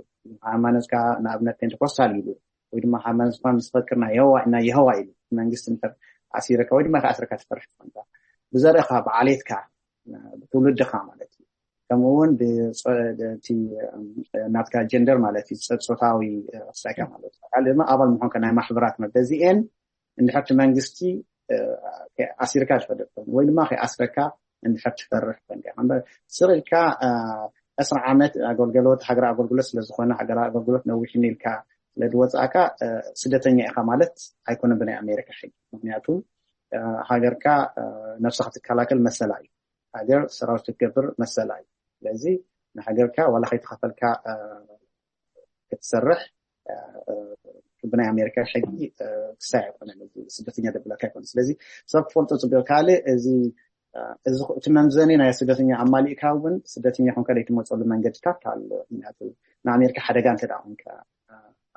ሃይማኖትካ ንኣብነት ፔንቴኮስታል እዩ ወይ ድማ ሃይማኖትካ ምስ ፈክር ናይ የሆዋ ናይ የሆዋ እዩ መንግስቲ እንድሕር ኣሲረካ ወይ ድማ ከኣስረካ ትፈርሕ ትኾንካ ብዘርእኻ ብዓሌትካ ብትውልድኻ ማለት እዩ። ከምኡ እውን ናትካ ጀንደር ማለት እዩ ፆታዊ ሳይካ ማለት እዩ ካልእ ድማ ኣባል ምኳንካ ናይ ማሕበራት መበዚኤን እንድሕርቲ መንግስቲ ኣሲርካ ዝፈደጥን ወይ ድማ ከይኣስረካ እንድሕር ትፈርሕ ፈንዲያ እምበር ስቕ ኢልካ ዕስራ ዓመት ኣገልገሎት ሃገር ኣገልግሎት ስለዝኾነ ሃገር ኣገልግሎት ነዊሕኒ ኢልካ ስለዝወፃእካ ስደተኛ ኢኻ ማለት ኣይኮነን ብናይ ኣሜሪካ ሕጊ። ምክንያቱ ሃገርካ ነብስኻ ትከላከል መሰላ እዩ። ሃገር ሰራዊት ክትገብር መሰላ እዩ። ስለዚ ንሃገርካ ዋላ ከይተኸፈልካ ክትሰርሕ ብናይ ኣሜሪካ ሕጊ ክሳይ ኣይኮነን። ስደተኛ ደብለካ ኣይኮነ። ስለዚ ሰብ ክፈልጦ ፅቡቅ ካልእ እዚ እቲ መምዘኒ ናይ ስደተኛ ኣማሊእካ እውን ስደተኛ ኮንካ ዘይትመፀሉ መንገድታት ኣሎ። ምክንያቱ ንኣሜሪካ ሓደጋ እንተ ኮንካ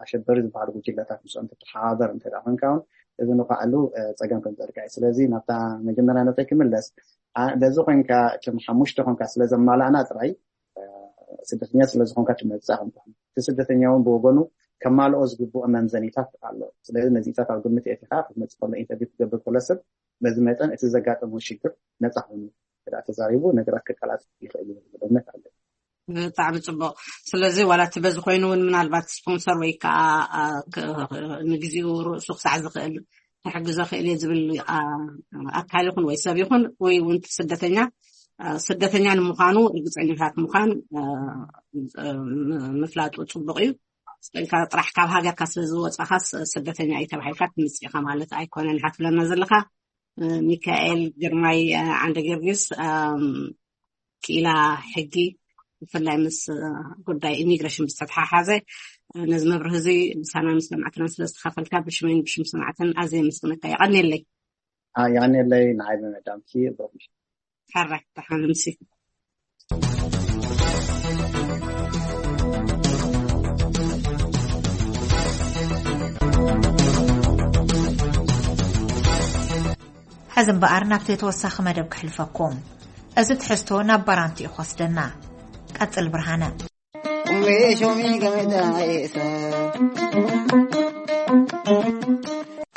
ኣሸበሪ ዝበሃሉ ጉጅለታት ምስኦም ትተሓባበር እንተ ኮንካ እውን እዚ ንኳዕሉ ፀገም ከም ዘርጋ እዩ። ስለዚ ናብታ መጀመርያ ነጠይ ክምለስ በዚ ኮንካ እቶም ሓሙሽተ ኮንካ ስለ ዘማላእና ጥራይ ስደተኛ ስለ ዝኾንካ ትመጽእ ከም ትኾን። እቲ ስደተኛ እውን ብወገኑ ከማልኦ ዝግብኦ መምዘኒታት ኣሎ። ስለዚ ነዚታት ኣብ ግምት የእቲኻ ክትመጽእ ከሎ፣ ኢንተርቪው ክትገብር ከሎ ሰብ በዚ መጠን እቲ ዘጋጠመ ሽግር ነጻ ኮይኑ ክዳ ተዛሪቡ ነገራት ከቀላጥፍ ይኽእል እዩ ዝብል እምነት ኣሎ። ብጣዕሚ ጽቡቕ። ስለዚ ዋላ እቲ በዚ ኮይኑ እውን ምናልባት ስፖንሰር ወይ ከዓ፣ አ፣ ክ-፣ ንግዜኡ ርእሱ ክሳዕ ዝኽእል ክሕግዞ ክእል እየ ዝብል፣ አ፣ ኣካል ይኹን ወይ ሰብ ይኹን ወይ እውን እቲ ስደተኛ፣ አ፣ ስደተኛ ንምዃኑ ርግጸኛታት ምዃን፣ አ፣ ም-፣ ምፍላጡ ጽቡቕ እዩ። ስቕ ኢልካ ጥራሕ ካብ ሃገርካ ስለ ዝወጻኻስ ስደተኛ እዩ ተባሂልካ ትምጽእ ኢኻ ማለት ኣይኮነን። ሓትለና ዘለኻ፣ እ፣ ሚካኤል ግርማይ፣ እ፣ ዓንደ ጊዮርጊስ፣ እም፣ ክኢላ ሕጊ ብፍላይ ምስ፣ እ፣ ጉዳይ ኢሚግሬሽን ዝተተሓሓዘ፣ እ፣ ነዚ መብርህ እዚ ምሳና ምስ ሰማዕትና ስለ ዝተኻፈልካ ብሽመይን ብሽም ሰማዕትን ኣዝየ የመስግነካ። የቐንየለይ። አ፣ የቐንየለይ ንዓይ ብምዕዳምኪ። ብሩኽ ምሽት። ሕራይ፣ ደሓን ምሲ። ሕዚ እምበኣር ናብቲ ተወሳኺ መደብ ክሕልፈኩም። እዚ ትሕዝቶ ናብ ባራንቱ እዩ ክወስደና። ቀጽል ብርሃነ።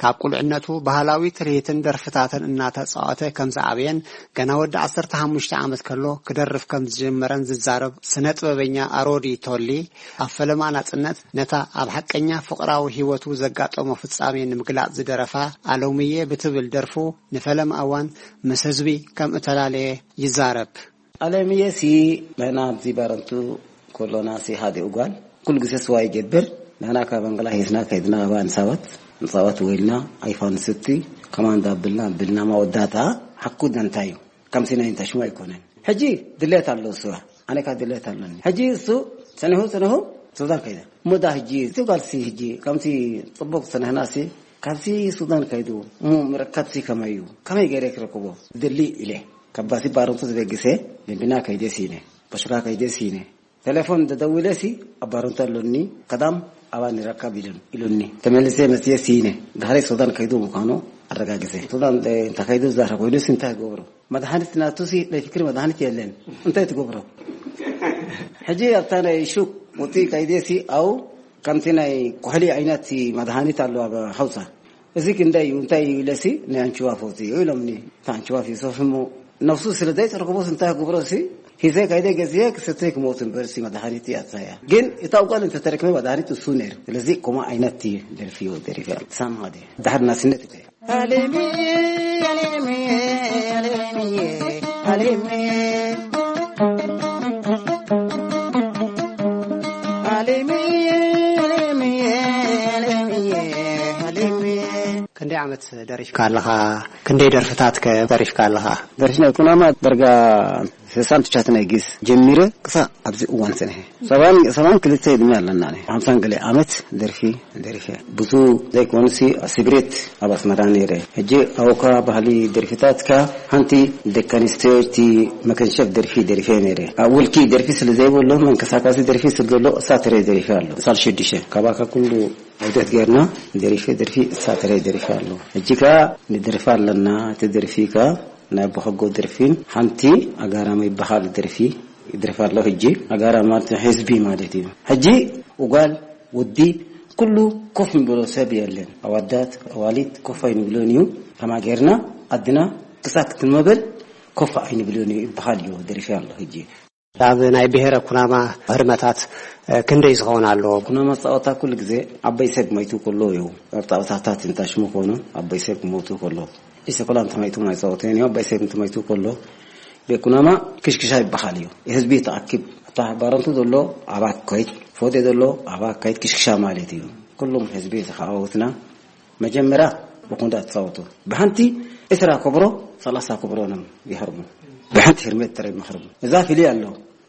ካብ ቁልዕነቱ ባህላዊ ትርኢትን ደርፍታትን እናተጻወተ ከም ዝዓበየን ገና ወዲ ዓሰርተ ሓሙሽተ ዓመት ከሎ ክደርፍ ከም ዝጀመረን ዝዛረብ ስነ ጥበበኛ ኣሮዲ ቶሊ፣ ኣብ ፈለማ ናጽነት ነታ ኣብ ሓቀኛ ፍቕራዊ ህይወቱ ዘጋጠሞ ፍጻሜ ንምግላጽ ዝደረፋ ኣሎምየ ብትብል ደርፉ ንፈለማ እዋን ምስ ህዝቢ ከም እተላለየ ይዛረብ። ኣለምየሲ ንሕና ኣብዚ ባረንቱ ኮሎናሲ ሓደ እጓል ኩሉ ግዜ ስዋ ይገብር። ንሕና ካብ ኣንገላ ሂዝና ከይድና ኣባ ንሳባት ንሳባት ወይልና ኣይፋ ንስቲ ከማንዳ ብልና ብልና መወዳእታ ሓኩ ደንታ እዩ። ከምሲ ናይ እንተሽሙ ኣይኮነን። ሕጂ ድሌት ኣሎ ስዋ። ኣነ ካብ ድሌት ኣለኒ። ሕጂ እሱ ጸኒሑ ጸኒሑ ሱዳን ከይደ። እሞ ዳ ሕጂ እቲ ጓልሲ ሕጂ ከምቲ ጽቡቕ ጸኒሕናሲ ካብሲ ሱዳን ከይዱ እሞ ምርካብሲ ከመይ እዩ? ከመይ ገይረ ክረክቦ? ድሊ ኢለ። ካብ ባሲ ባረንቱ ዝበግሰ፣ ደንቢና ከይደ ሲነ፣ በሽካ ከይደ ሲነ። ቴሌፎን ተደዊለ ሲ፣ ኣብ ባረንቱ ኣሎኒ፣ ቀዳም ኣባ ንረካብ ኢሉን-፣ ኢሉኒ። ተመልሰ መጽየ ሲነ፣ ድሕሪ ሱዳን ከይዱ ምዃኑ ኣረጋግጸ። ሱዳን፣ እ፣ እንተ ከይዱ ዛረ ኮይኑ ሲ እንታይ ይገብሮ? መድሃኒት ናቱ ሲ ናይ ፍክሪ መድሃኒት የለን። እንታይ ትገብሮ? ሕጂ ኣብታ ናይ ሹቅ ውጽኢ ከይደ ሲ፣ ኣው ከምቲ ናይ ኩሕሊ ዓይነት መድሃኒት ኣሎ ኣብ ሓውሳ። እዚ ክንደይ እዩ፣ እንታይ እዩ ኢለሲ፣ ናይ ኣንችዋ ፈውሲ እዩ ኢሎምኒ። እታ ኣንችዋ ፊሶፍ እሞ ነፍሱ ስለ ዘይተረክቦስ እንታይ ክገብሮ ሲ፣ ሂዘ ካይደ ገዝየ ክሰተ ክሞት እምበር ሲ መድሃኒት እያ እታ እያ። ግን እታ ጓል እንተተረክበ መድሃኒት እሱ ነይሩ። ስለዚ ኮማ ዓይነት እዩ ደርፊ እዩ ደሪፈ። ሳም ሃደ። ድሓር ናስነት እተ። ኣሌሚ፣ ኣሌሚ፣ ኣሌሚ፣ ኣሌሚ። ክንደይ ዓመት ደሪፍካ ኣለኻ? ክንደይ ደርፍታት ከ ደሪፍካ ኣለኻ? ደርፊ ናይ ኩናማ ደርጋ ስሳን ትቻትን ናይ ግስ ጀሚረ ክሳብ ኣብዚ እዋን ጽንሐ። ሰባን፣ ሰባን ክልተ ዕድመ ኣለና። ኣነ ሓምሳን ገለ ዓመት ደርፊ ደሪፈ። ብዙ ዘይኮኑሲ ስግሬት ኣብ ኣስመራ ነይረ። ሕጂ ኣውካ ባህሊ ደርፊታትካ ሓንቲ ደቂ ኣንስትዮ እቲ መከንሸፍ ደርፊ ደሪፈ ነይረ። ኣብ ውልኪ ደርፊ ስለ ዘይብሉ መንቀሳቀሲ ደርፊ ስለ ዘሎ እሳ ትረ ደሪፈ ኣሎ። ሳል ሽዱሽተ ካባካ ኩሉ ዑደት ጌርና ደሪፈ ደርፊ እሳ ትረ ደሪፈ ኣሎ። ሕጂ ከኣ ንደርፊ ኣለና። እቲ ደርፊ ከኣ ናይ ኣቦ ከጎ ደርፊን ሓንቲ ኣጋራሚ ይበሃል ደርፊ ይደርፍ ኣሎ። ሕጂ ኣጋራሚ ማለት ህዝቢ ማለት እዩ። ሕጂ ጓል ወዲ ኩሉ ኮፍ ንብሎ ሰብ የለን። ኣዋዳት ኣዋሊድ ኮፍ ኣይንብሎን እዩ። ከማ ጌርና ኣድና ክሳብ ክትመበል ኮፍ ኣይንብሎን እዩ ይበሃል እዩ ደሪፊ ኣሎ። ሕጂ ኣብ ናይ ብሔረ ኩናማ ህርመታት፣ እ፣ ክንደይ ዝኸውን ኣሎ? ኩናማ ጸወታ ኩሉ ግዜ ዓበይ ሰብ ሞይቱ ከሎ እዩ። ኣብ ጸወታታት እንታሽሙ ኮኑ ዓበይ ሰብ ክሞቱ ከሎ። ኢሰ ኮላ እንተማይቱ ማይ ጸወተን እዩ። ዓበይ ሰብ እንተማይቱ ከሎ ቤት ኩናማ ክሽክሻ ይበሃል እዩ። ህዝቢ ተኣኪብ፣ እታ ባረንቱ ዘሎ ኣባ ከይድ፣ ፎዴ ዘሎ ኣባ ከይድ ክሽክሻ ማለት እዩ። ኩሉም ህዝቢ ተኸኣወትና መጀመርያ ብኩንዳ ትጻወቱ። ብሓንቲ ዕስራ ኮብሮ፣ ሰላሳ ኮብሮ ነም ይሃርሙ። ብሓንቲ ህርመት ጥራይ መኽርሙ። እዛ ፍልይ ኣሎ።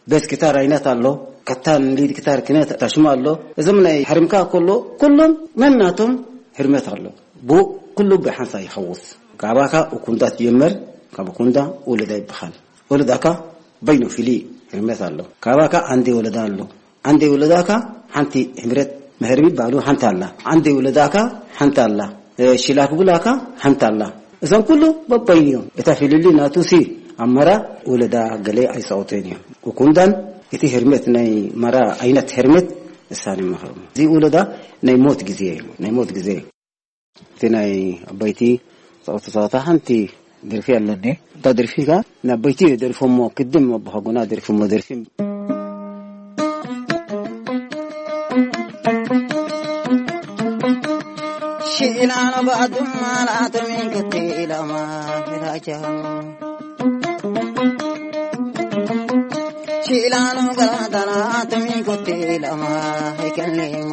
ቤት ክታር ዓይነት ኣሎ። ከታን ሊድ ክታር ክነት ታሽማ ኣሎ። እዞም ናይ ሕርምካ ከሎ ኩሎም ነናቶም ህርመት ኣሎ። ብኡ ኩሉ ብሓንሳ ይኸውስ። ካባካ እኩንዳ ትጀመር፣ ካብ እኩንዳ ወለዳ ይበሃል። ወለዳካ በይኑ ፍልይ ህርመት ኣሎ። ካባካ ኣንዴ ወለዳ ኣሎ። ኣንዴ ወለዳካ ሓንቲ ህምረት መህርሚ ባሉ ሓንቲ ኣላ። ኣንዴ ወለዳካ ሓንቲ ኣላ። እ፣ ሽላክ ብላካ ሓንቲ ኣላ። እዞም ኩሉ በበይኑ እዮም። እታ ፍልሊ ናቱ ሲ ኣመራ ወለዳ ገለ ኣይሳወተን እዮም። ኩኩንዳን እቲ ህርመት ናይ ማራ ዓይነት ህርመት እሳነ መኸሩ እዚ ውለዳ ናይ ሞት ግዜ እዩ። ናይ ሞት ግዜ እዩ። እቲ ናይ ኣባይቲ ጸወታ ጸወታ ሓንቲ ደርፊ ኣለኒ። እታ ደርፊ ከኣ ንኣባይቲ ደሪፎሞ፣ ክድም ኣቦሓጎና ደሪፎሞ ደርፊ። ሽኢላኖ ባዱማ ላቶሚን ክትኢላማ ራጃ ሽላኑ ገላዳና ተሚንኮቴ ለማ ሄከሌሙ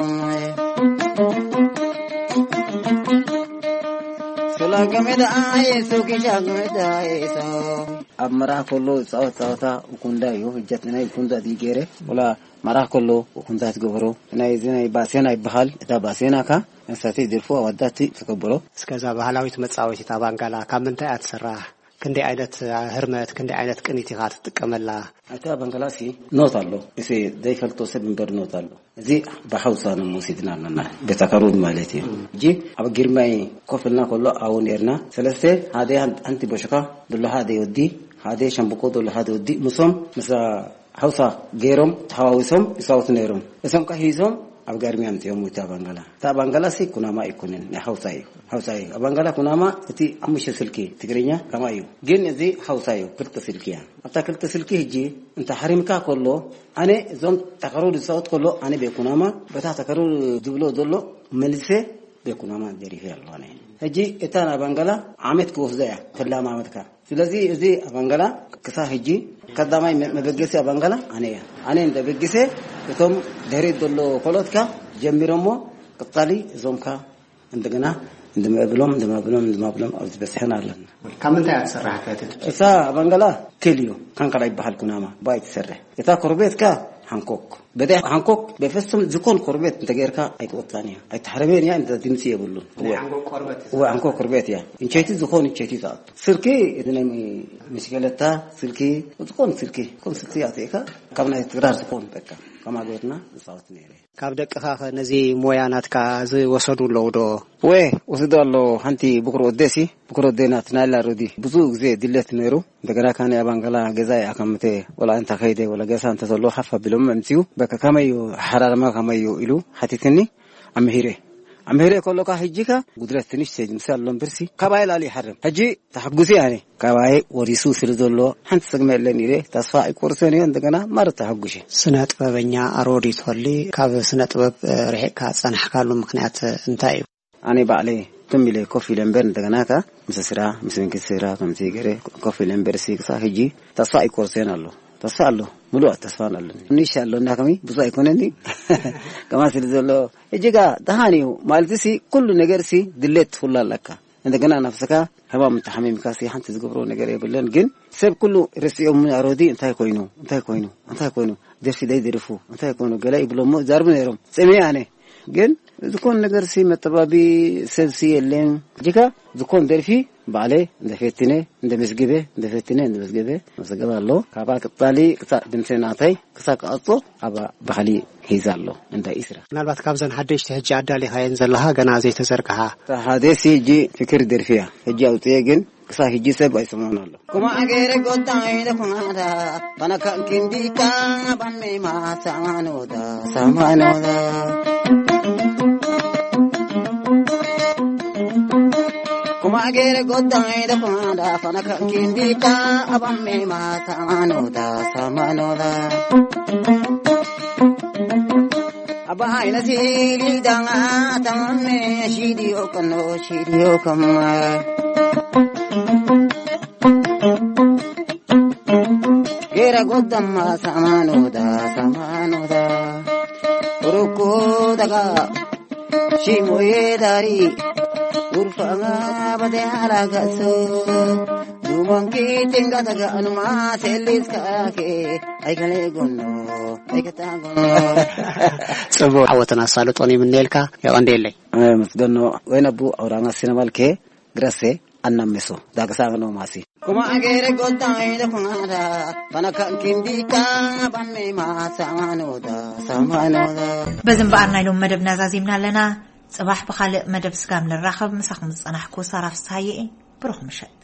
ሱላገሜዳ አይ ሱኪሻ ገሜዳ አይ ሰው ኣብ መርዓ ከሎ ዝፃወት ፀወታ ውኩንዳ እዩ። ህጀት ናይ ውኩንዳ ድዩ ገይረ ወላ መርዓ ከሎ ውኩንዳ ትገብሮ። ናይ እዚ ናይ ባሴና ይበሃል። እታ ባሴና ካ እንሳተይ ደርፎ ኣዋዳት ተከብሮ። እስከዛ ባህላዊት መጻወቲት ኣባንጋላ ካብ ምንታይ እያ ትስራሕ? ክንደይ ዓይነት ህርመት፣ ክንደይ ዓይነት ቅኒት ኢኻ ትጥቀመላ? እታ ባንጋላሲ ኖት ኣሎ። እዚ ዘይፈልጦ ሰብ እምበር ኖት ኣሎ። እዚ ብሓውሳ ነው መውሲድና ኣለና። ቤታ ከሩድ ማለት እዩ። እጂ ኣብ ግርማይ ኮፍ ኢልና ከሎ ኣብኡ ነርና። ሰለስተ ሓደ ሓንቲ ቦሽካ፣ ደሎ ሓደ ወዲ፣ ሓደ ሸምብቆ፣ ደሎ ሓደ ወዲ፣ ምሶም፣ ምሳ ሓውሳ ገይሮም ተሓዋዊሶም ይሳወቱ ነይሮም። እሶም ከ ሂዞም ኣብ ጋርሚያ ምፅኦም። እታ ባንጋላ፣ እታ ባንጋላ ሲ ኩናማ ኣይኮነን፣ ናይ ሓውሳ እዩ። ሓውሳ እዩ። ኣብ ባንጋላ ኩናማ እቲ ሓሙሽተ ስልኪ ትግርኛ ከማ እዩ። ግን እዚ ሓውሳ እዩ፣ ክልተ ስልኪ እያ። ኣብታ ክልተ ስልኪ ህጂ እንተ ሓሪምካ ከሎ፣ ኣነ እዞም ተከሩ ዝፃወት ከሎ፣ ኣነ ቤኩናማ በታ ተከሩ ዝብሎ ዘሎ መልሰ ቤኩናማ ደሪፈ ኣለዋ። ናይ ህጂ እታ ናይ ባንጋላ ዓመት ክወስዳ እያ፣ ተላማመድካ። ስለዚ እዚ ኣባንጋላ ክሳብ ሕጂ ቀዳማይ መ-፣ መበገሲ ኣባንጋላ ኣነ እያ። ኣነ እንደ በግሰ እቶም ድሕሪት ዘሎ ኮሎትካ ጀሚሮሞ ቅጻሊ እዞምካ እንደገና እንደመብሎም፣ እንደመብሎም፣ እንደመብሎም ኣብዚ በጽሐን ኣለና። ካብ ምንታይ እያ ትስራሕ? እታ እሳ ኣባንጋላ ክል እዩ። ካንካላ ይበሃል ኩናማ ባይ ትሰርሕ። እታ ኮርቤትካ ሃንኮክ። በደ ሃንኮክ በፍጹም ዝኾን ኮርቤት እንተገይርካ ኣይትወጣን እያ። ኣይትሓረበን እያ፣ እንተ ድምጺ የብሉን። ናይ ሃንኮክ ቆርበት። እወ፣ ሃንኮክ ኮርቤት እያ። እንቸይቲ ዝኾን እንቸይቲ ትኣቱ። ስልኪ፣ እቲ ናይ ምስገለታ ስልኪ፣ ዝኾን ስልኪ፣ ዝኾን ስልኪ ኣትእካ፣ ካብ ናይ ትግራር ዝኾን በቃ፣ ከማጎትና ዝጻወት ነይረ። ካብ ደቅኻ ኸ ነዚ ሞያ ናትካ ዝወሰዱ ኣለዉ ዶ? ወ-፣ ወስዶ ኣሎ። ሓንቲ ብኩር ወደሲ፣ ብኩር ወደና ትናላ ሮዲ ብዙ ግዜ ድለት ነይሩ። እንደገና ካነ ኣባንገላ ገዛ ይኣከምተ፣ ወላ እንተ ኸይደ፣ ወላ ገሳ እንተ ዘሎ ሓፍ ኣቢሎም ኣምፅኡ። በቃ ከመይ እዩ፣ ሓራርማ ከመይ እዩ ኢሉ ሓቲትኒ። ኣምሂረ። ኣምሂረ ከሎካ ሕጂካ ጉድለት ትንሽ ሴጅ ምሳል ሎም ብርሲ ካባይ ላሊ ይሓርም። ሕጂ ተሐጉሲ ኣነ። ካባይ ወሪሱ ስለ ዘሎ ሓንቲ ሰግመ የለን ኢለ ተስፋ ኣይቆርሰን እየ። እንደገና ማረት ተሐጉሸ። ስነ ጥበበኛ ኣሮዲት ሆሊ፣ ካብ ስነ ጥበብ፣ እ፣ ርሒቕካ ዝጸናሕካሉ ምኽንያት እንታይ እዩ? ኣነ ባዕለይ ትም ኢለ ኮፍ ኢለ እምበር፣ እንደገና ከ ምስ ስራ፣ ምስ መንግስቲ ስራ ከምዚ ገይረ ኮፍ ኢለ እምበር፣ ሲ ክሳብ ሕጂ ተስፋ ኣይቆርሰን ኣሎ። ተስፋ ኣሎ፣ ምሉእ ተስፋ ኣለኒ። ንሽ ኣሎ እና ከመይ ብዙ ኣይኮነኒ። ከማ ስለ ዘሎ፣ ሕጂ ከ ደሃን እዩ ማለት ሲ፣ ኩሉ ነገር ሲ ድሌት ትፍሉ ኣለካ። እንደገና ነፍስካ ሕማም እንተሓሚምካ ሲ ሓንቲ ዝገብሮ ነገር የብለን። ግን ሰብ ኩሉ ርስኦም ኣሮዲ እንታይ ኮይኑ፣ እንታይ ኮይኑ፣ እንታይ ኮይኑ፣ ደርፊ ደይ ደርፉ፣ እንታይ ኮይኑ፣ ገለ ይብሎ እሞ ዛርቡ ነይሮም። ጽሜ ኣነ ግን ዝኾን ነገር ሲ መጠባቢ ሰብ ሲ የለን። ሕጂ ከ ዝኾን ደርፊ ባዕለ እንደ ፈትነ፣ እንደ መዝግበ፣ እንደ ፈትነ፣ እንደ መዝግበ፣ መዘገብ ኣሎ። ካባ ቅጣሊ ክሳ ድምሰ ናተይ ክሳ ክቐጾ ኣብ ባህሊ ሒዛ ኣሎ። እንደ ኢስራ። ምናልባት ካብዘን ሓደሽቲ ሕጂ ኣዳሊኻየን ዘለኻ ገና ዘይተዘርግሓ? እታ ሓደ ሲ ሕጂ ፍክር ደርፊ እያ። ሕጂ ኣውጥየ ግን ክሳ ሕጂ ሰብ ኣይሰማን ኣሎ። Kuma agere gota ida kumada, bana kan kindika, ban me ma samanoda, samanoda. Kuma agere gota ida kumada, bana kan kindika, ban me ma samanoda, samanoda. Abaina sili danga tamne shidio kano shidio kama. Gera godama samanoda samanoda. Ruko daga shimoye dari. Urfanga bade ala gaso. Dumanki tinga daga anuma selis kake. Aikale gono aikata gono. ጽቡቕ ዓወትን ኣሳልጦን ይምነየልካ። የቐንደየለይ። ኣመስገኖ። ወይነቡ ኣውራና ሲነማልኬ ግረሴ ኣናሜሶ ዳግሳኖ ማሲ። Kuma agere gota ida kumada, bana kan kindika, ban me ma samanoda, samanoda. በዚ እምበኣር ናይ ሎም መደብና ዛዚምና ኣለና። ጽባሕ ብኻልእ መደብ ስጋብ ንራኸብ፣ ምሳኹም ዝጸናሕኩ ሳራ ፍስሃየ እየ። ብሩኽ ምሸት።